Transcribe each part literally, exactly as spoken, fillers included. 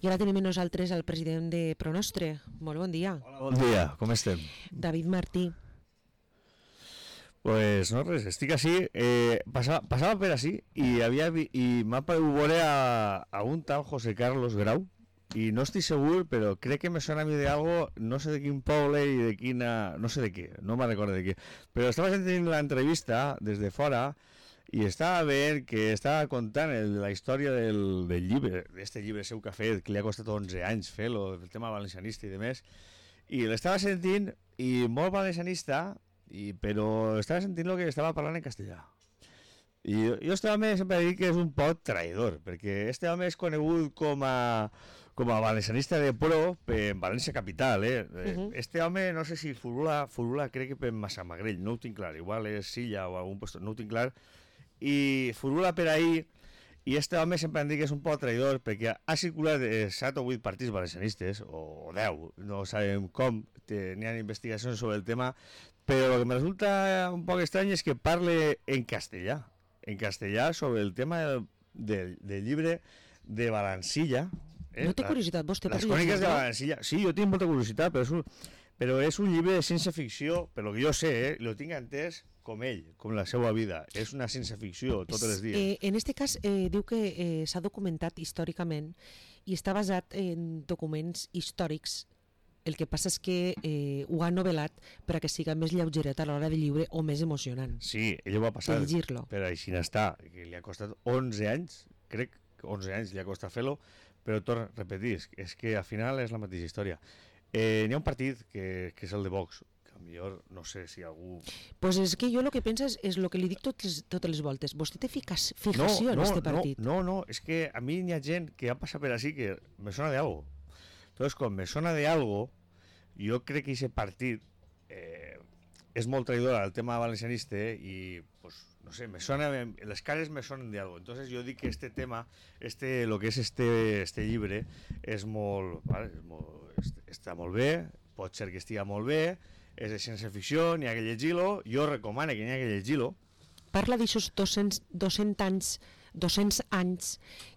I ara tenim amb nosaltres el president de Pronostre. Molt bon dia. Hola, bon dia, com estem? David Martí. Pues no res, estic així, eh, passava, passava per així i, havia vi, i m'ha paregut veure a, a un tal José Carlos Grau i no estic segur, però crec que me sona a mi de algo, no sé de quin poble i de quina, no sé de què, no me'n recordo de què, però estava sentint l'entrevista des de fora i estava veient que estava contant el, la història del, del llibre, d'este llibre seu que ha fet, que li ha costat onze anys fer-lo, el tema valencianista i demés, i l'estava sentint i molt valencianista, i, però estava sentint el que estava parlant en castellà. I jo, jo este home sempre dic que és un poc traïdor, perquè este home és conegut com a, com a valencianista de pro en València capital, eh? Uh-huh. Este home no sé si furula, furula crec que per Massamagrell, no ho tinc clar, igual és Silla o algun lloc, no ho tinc clar, i furula per ahí, i este home sempre em dic que és un poc traïdor perquè ha circulat set o vuit partits valencianistes, o deu, no sabem com, n'hi ha investigacions sobre el tema, però el que me resulta un poc estrany és que parle en castellà, en castellà sobre el tema del, del, del llibre de Valancilla. Eh? No té curiositat, vostè per les cròniques de Valancilla. Sí, jo tinc molta curiositat, però és un, però és un llibre de ciència-ficció, per lo que jo sé, eh, lo tinc entès com ell, com la seva vida. És una ciència-ficció tots els dies. Eh, en este cas, eh, diu que eh, s'ha documentat històricament i està basat en documents històrics. El que passa és que eh, ho ha novel·lat per a que siga més lleugeret a l'hora de lliure o més emocionant. Sí, ell ho va passar per així n'està, que li ha costat onze anys, crec que onze anys li ha costat fer-lo, però torno a repetir, és que al final és la mateixa història. Eh, n'hi ha un partit que, que és el de Vox, que millor no sé si algú... Pues és que jo el que penso és, és el que li dic totes, totes les voltes. Vostè té ficació no, no, en este partit? No, no, no, és que a mi n'hi ha gent que ha passat per així que me sona de algo. Entonces, com me sona de algo, jo crec que aquest partit eh, és molt traïdor al tema valencianista eh, i, pues, no sé, me sona, les cares me sonen de algo. Entonces jo dic que este tema, este, lo que és este, este llibre, és molt, vale, és molt, està molt bé, pot ser que estigui molt bé, és de ciència-ficció, n'hi ha que llegir-lo, jo recomano que n'hi ha que llegir-lo. Parla d'aixòs doscents, doscents anys, doscents anys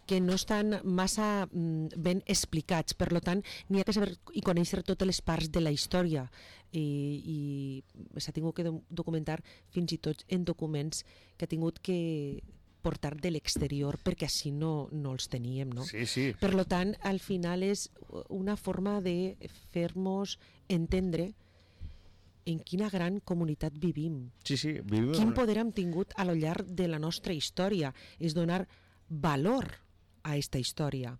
que no estan massa mm, ben explicats, per tant n'hi ha que saber i conèixer totes les parts de la història i, i s'ha tingut que documentar fins i tot en documents que ha tingut que portar de l'exterior perquè així no, no els teníem, no? Sí, sí. Per tant, al final és una forma de fer-nos entendre en quina gran comunitat vivim. Sí, sí, vivim. Quin poder hem tingut a lo llarg de la nostra història, és donar valor a aquesta història.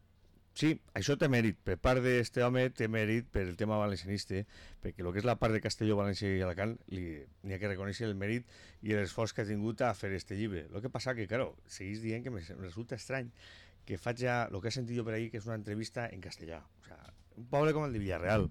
Sí, això té mèrit, per part d'este home té mèrit per el tema valencianista, perquè el que és la part de Castelló, València i Alacant n'hi ha que reconèixer el mèrit i l'esforç que ha tingut a fer este llibre. El que passa que, claro, seguís dient que me resulta estrany que faig ja, el que he sentit jo per ahí, que és una entrevista en castellà. O sea, un poble com el de Villarreal,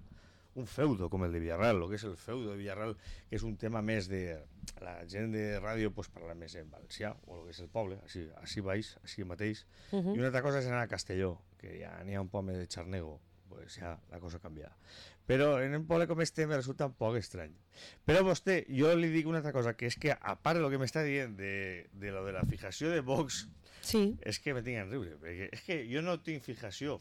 un feudo com el de Villarreal, el que és el feudo de Villarreal, que és un tema més de... La gent de ràdio pues, parla més en valencià, o el que és el poble, així, així baix, així mateix. Uh-huh. I una altra cosa és anar a Castelló, que ja n'hi ha un poble de xarnego, pues ja la cosa canvia. Però en un poble com este me resulta un poc estrany. Però vostè, jo li dic una altra cosa, que és que a part del que m'està dient de, de lo de la fijació de Vox, sí. És que me tinc en riure, perquè és que jo no tinc fijació.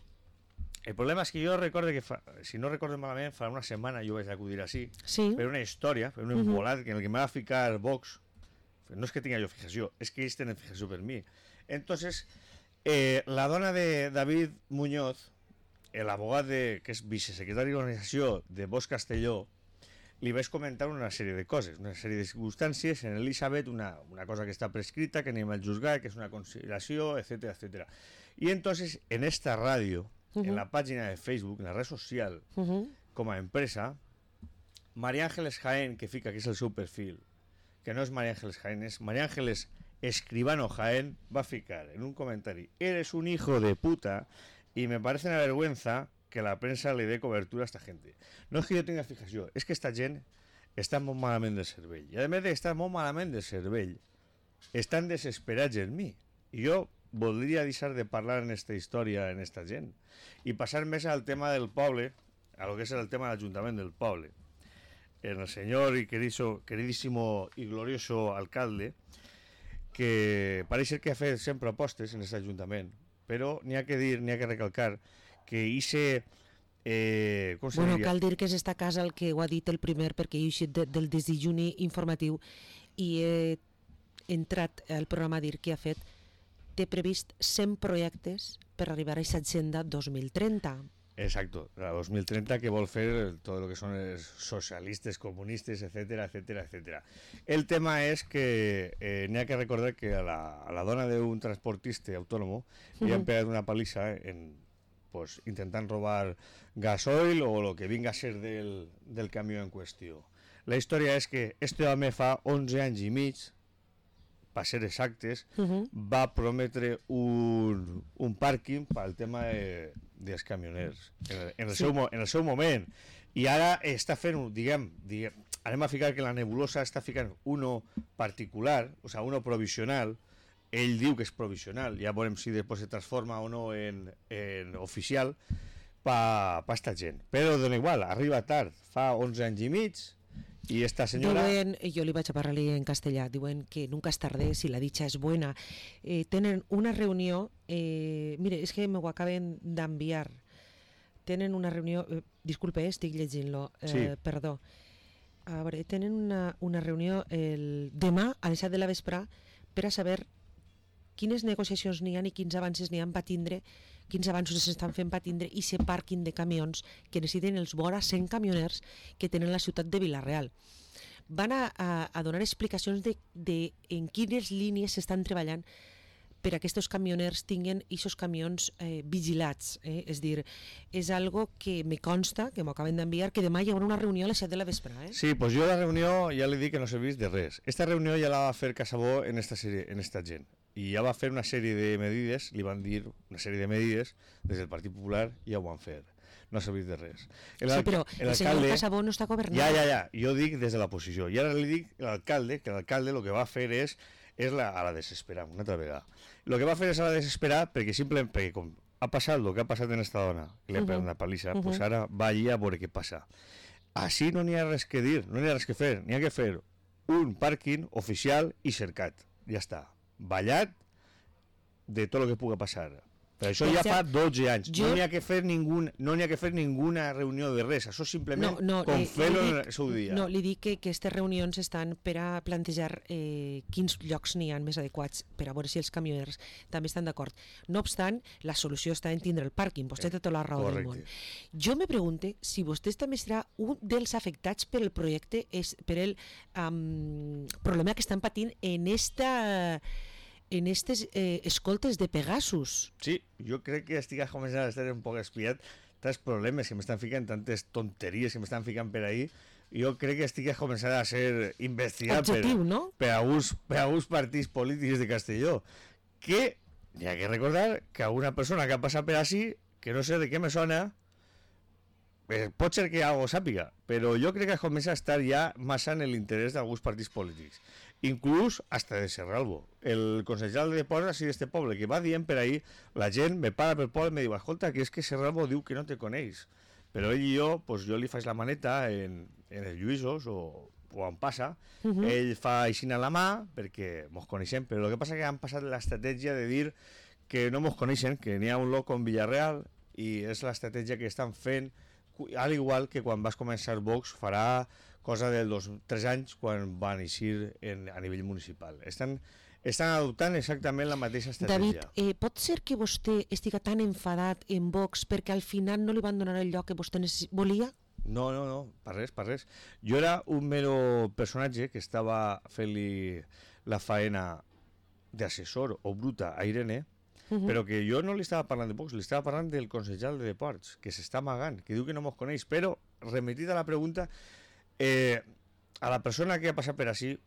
El problema és que jo recordo que, fa, si no recordo malament, fa una setmana jo vaig acudir així, sí. per una història, per un embolat, uh-huh. en el que m'ha de ficar Vox. No és que tinga jo fijació, és que ells tenen fijació per mi. Entonces, eh, la dona de David Muñoz, l'abogat que és vicesecretari d'organització de Vox Castelló, li vaig comentar una sèrie de coses, una sèrie de circumstàncies en Elisabet, una, una cosa que està prescrita, que anem al juzgat, que és una consideració, etcètera, etcètera. I entonces, en esta ràdio, uh-huh. en la pàgina de Facebook, en la red social, uh-huh. com a empresa, María Ángeles Jaén, que fica que és el seu perfil, que no és María Ángeles Jaén, és María Ángeles Escribano Jaén, va ficar en un comentari: eres un hijo de puta y me parece una vergüenza que la prensa le dé cobertura a esta gente. No és que jo tinga fijació, és que esta gent està molt malament del cervell. I a més d'estar molt malament del cervell, estan desesperats en mi. I jo voldria deixar de parlar en esta història, en esta gent, i passar més al tema del poble, a lo que és el tema de l'Ajuntament del poble. El senyor y querido, queridísimo y glorioso alcalde, que pareix ser que ha fet cent propostes en aquest Ajuntament, però n'hi ha que dir, n'hi ha que recalcar que hice... Eh, com se Bueno, diria? cal dir que és esta casa el que ho ha dit el primer, perquè he eixit de, del desdejuni informatiu i he entrat al programa a dir que ha fet, té previst cent projectes per arribar a aquesta agenda dos mil trenta. Exacto, la dos mil trenta que vol fer todo lo que son els socialistes, comunistes, etcétera, etcétera, etcétera. El tema és que eh, n'hi ha que recordar que a la, a la dona d'un transportista autònomo uh-huh. li han pegat una palissa en, pues, intentant robar gasoil o lo que vinga a ser del, del camió en qüestió. La història és que este home fa onze anys i mig, per ser exactes, uh-huh. va prometre un, un pàrquing pel tema de, dels camioners en el, en, el sí. seu, en el seu moment, i ara està fent, diguem, diguem, anem a ficar que la nebulosa està ficant uno particular, o sigui, uno provisional. Ell diu que és provisional, ja veurem si després se transforma o no en, en oficial per pa esta gent, però dona igual, arriba tard, fa onze anys i mig, i esta senyora... Diuen, jo li vaig a parlar-li en castellà, diuen que nunca és tarde si la dicha és buena. Eh, tenen una reunió, eh, mire, és que m'ho acaben d'enviar, tenen una reunió, eh, disculpe, eh, estic llegint-lo, eh, sí. perdó, a veure, tenen una, una reunió el demà a les set de la vespre per a saber quines negociacions n'hi ha i quins avances n'hi ha per tindre, quins avanços s'estan fent per tindre i ser pàrquing de camions que necessiten els vora cent camioners que tenen la ciutat de Vila-real. Van a, a, a donar explicacions de, de en quines línies s'estan treballant per a que aquests camioners tinguin aquests camions eh, vigilats. Eh? És dir, és algo que me consta, que m'ho acaben d'enviar, que demà hi haurà una reunió a les set de la vespre. Eh? Sí, pues jo la reunió ja li dic que no serveix de res. Esta reunió ja la va fer Casabó en esta, sèrie, en esta gent. I ja va fer una sèrie de medides, li van dir una sèrie de medides, des del Partit Popular ja ho van fer. No ha servit de res. El, sí, però el, el senyor Casabó no està governant. Ja, ja, ja, jo dic des de la posició. I ara li dic a l'alcalde que l'alcalde el que va fer és, és la, a la desesperar, una altra vegada. El que va fer és a la desesperar perquè simplement, perquè com ha passat el que ha passat en esta dona, que li ha pegat una palissa, uh -huh. pues ara va allí a veure què passa. Així no n'hi ha res que dir, no n'hi ha res que fer, n'hi ha que fer un pàrquing oficial i cercat. Ja està. Ballat de tot el que pugui passar. Per això ja fa dotze anys. Jo... No n'hi ha que fer ningun, no n'hi ha que fer ninguna reunió de res. Això simplement no, no, com eh, fer-ho en el seu dia. No, li dic que aquestes reunions estan per a plantejar eh, quins llocs n'hi ha més adequats per a veure si els camioners també estan d'acord. No obstant, la solució està en tindre el pàrquing. Vostè té tota la raó Correcte. del món. Jo me pregunte si vostè també serà un dels afectats per el projecte, és per el um, problema que estan patint en esta... en aquestes eh, escoltes de Pegasus. Sí, jo crec que estic començant a estar un poc espiat tants problemes que m'estan ficant, tantes tonteries que m'estan ficant per ahí. Jo crec que estic començant a ser investigat Objectiu, per, no? per, alguns, per alguns partits polítics de Castelló. Que hi ha que recordar que una persona que ha passat per així, que no sé de què me sona, eh, pot ser que algo sàpiga, però jo crec que comença a estar ja massa en l'interès d'alguns partits polítics. Inclús hasta de Serralbo, el consellal de deports així d'este poble, que va dient per ahí, la gent me para pel poble i me diu, escolta, que és que Serralbo diu que no te coneix, però ell i jo, pues jo li faig la maneta en, en els Lluïsos o, o on passa, uh -huh. ell fa aixina la mà perquè mos coneixem, però el que passa que han passat l'estratègia de dir que no mos coneixen, que n'hi ha un loco en Villarreal i és l'estratègia que estan fent, al igual que quan vas començar Vox farà cosa dels dos, tres anys quan van eixir en, a nivell municipal. Estan, estan adoptant exactament la mateixa estratègia. David, eh, pot ser que vostè estiga tan enfadat en Vox perquè al final no li van donar el lloc que vostè volia? No, no, no, per res, per res. Jo era un mero personatge que estava fent-li la faena d'assessor o bruta a Irene, uh -huh. però que jo no li estava parlant de Vox, li estava parlant del consellal de deports, que s'està amagant, que diu que no mos coneix, però, remetit a la pregunta, Eh, a la persona que ha passat per així,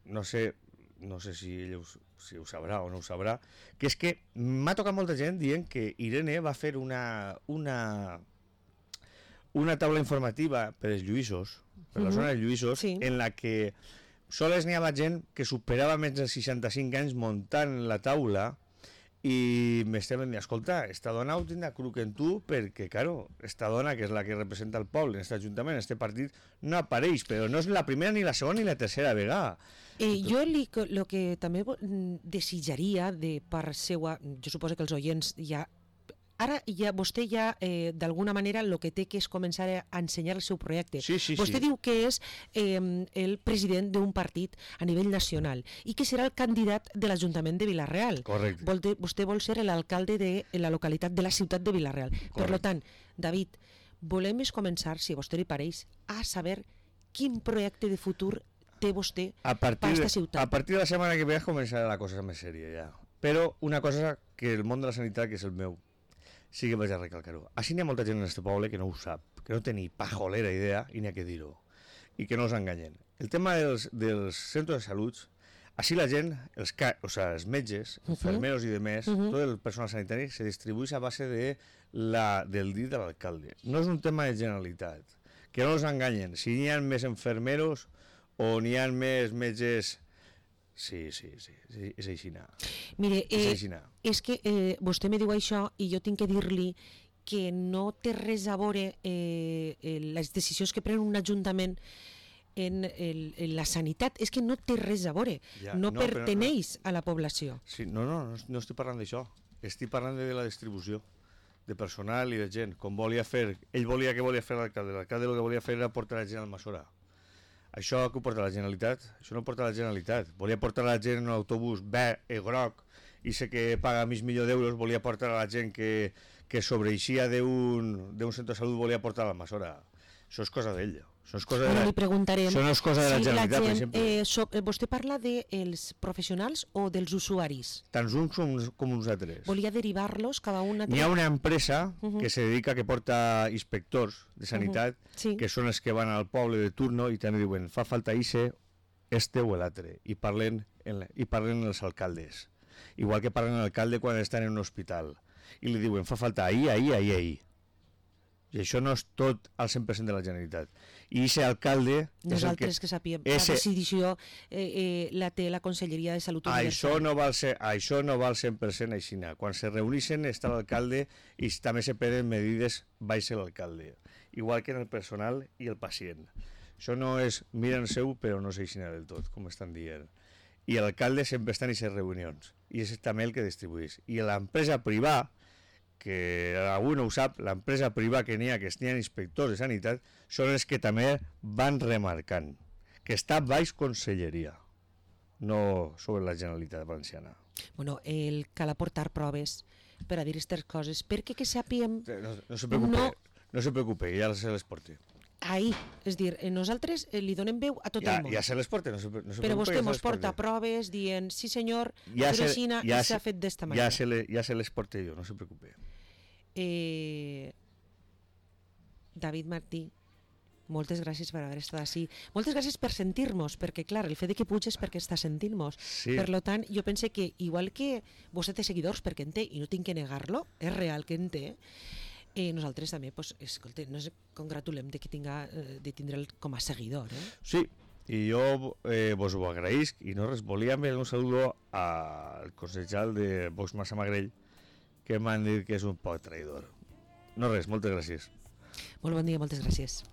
no sé, no sé si ell ho, si ho sabrà o no ho sabrà, que és que m'ha tocat molta gent dient que Irene va fer una una una taula informativa per als Lluïsos, per la uh -huh. zona dels Lluïsos, sí. en la que sols n'hi havia gent que superava més de seixanta-cinc anys muntant la taula i m'estem dient, escolta, esta dona ho tindrà cruc en tu perquè, claro, esta dona, que és la que representa el poble en aquest ajuntament, en aquest partit, no apareix, però no és la primera, ni la segona, ni la tercera vegada. Eh, jo li, lo que també desitjaria de part seua, jo suposo que els oients ja ara ja, vostè ja, eh, d'alguna manera, el que té que és començar a ensenyar el seu projecte. Sí, sí, vostè sí. diu que és eh, el president d'un partit a nivell nacional i que serà el candidat de l'Ajuntament de Vila-real. Correcte. Vol, vostè vol ser l'alcalde de la localitat de la ciutat de Vila-real. Per tant, David, volem és començar, si a vostè li pareix, a saber quin projecte de futur té vostè a per partir, aquesta ciutat. a partir de la setmana que ve començarà la cosa més sèria ja. Però una cosa que el món de la sanitat, que és el meu, sí que vaig a recalcar-ho. Així n'hi ha molta gent en aquest poble que no ho sap, que no té ni pajolera idea i n'hi ha que dir-ho, i que no els enganyen. El tema dels, dels centres de salut, així la gent, els, o sea, els metges, uh -huh. enfermeros i demés, uh -huh. tot el personal sanitari se distribueix a base de la, del dit de l'alcalde. No és un tema de generalitat, que no els enganyen. Si n'hi ha més enfermeros o n'hi ha més metges... Sí, sí, sí, sí, és aixina. Mire, eh, és aixina. És que eh, vostè me diu això i jo tinc que dir-li que no té res a veure eh, les decisions que pren un ajuntament en, el, en la sanitat. És que no té res a veure, ja, no, no perteneix no. a la població. Sí, no, no, no, no estic parlant d'això, estic parlant de la distribució de personal i de gent, com volia fer, ell volia que volia fer l'alcalde, l'alcalde el que volia fer era portar la gent al Almassora. Això que ho porta la Generalitat? Això no ho porta la Generalitat. Volia portar la gent en un autobús verd i groc i sé que paga mig milió d'euros, volia portar a la gent que, que sobreixia d'un centre de salut, volia portar a l'Almassora. Això és cosa d'ell. Això és cosa de la, li preguntarem això no és cosa de la si Generalitat, la gent, per exemple. Eh, so, vostè parla dels professionals o dels usuaris? Tant uns com, com uns altres. Volia derivar-los cada una... N'hi ha una empresa uh -huh. que se dedica, que porta inspectors de sanitat, uh -huh. sí. que són els que van al poble de turno i també diuen, fa falta ixe, este o l'altre, i parlen, la, i parlen els alcaldes. Igual que parlen l'alcalde quan estan en un hospital. I li diuen, fa falta ahir, ahir, ahir, ahir. I això no és tot al cent per cent de la Generalitat. I aquest alcalde... Nosaltres que, que sapiem, ese, la decisió eh, eh, la té la Conselleria de Salut Universal. Això no val ser, això no val cent per cent així. Quan se reuneixen està l'alcalde i també se prenen medides baix l'alcalde. Igual que en el personal i el pacient. Això no és miren seu però no és així del tot, com estan dient. I l'alcalde sempre està en aquestes reunions. I és també el que distribueix. I l'empresa privada, que algú no ho sap, l'empresa privada que n'hi ha, que n'hi ha inspectors de sanitat, són els que també van remarcant que està baix conselleria, no sobre la Generalitat Valenciana. Bueno, el cal aportar proves per a dir aquestes coses, perquè que sàpiem... No, no se preocupe, no, no se preocupe, ja se les porte. Ahí, és dir, nosaltres li donem veu a tot ja, el món. Ja se les porte, no se, no se Però preocupe, vostè ja mos porta proves dient, sí senyor, ja se, Xina, ja i s'ha fet d'esta manera. Ja se, le, ja se les porte jo, no se preocupe. Eh, David Martí, moltes gràcies per haver estat així. Moltes gràcies per sentir-nos, perquè clar, el fet de que puig és perquè està sentint-nos. Sí. Per tant, jo pense que igual que vostè té seguidors, perquè en té, i no tinc que negar-lo, és real que en té, eh, nosaltres també, pues, escolta, nos congratulem de que tinga, eh, de tindre'l com a seguidor. Eh? Sí, i jo eh, vos ho agraïsc, i no res, volia enviar un saludo al consellal de Vox Massamagrell, que m'han dit que és un poc traïdor. No res, moltes gràcies. Molt bon dia, moltes gràcies.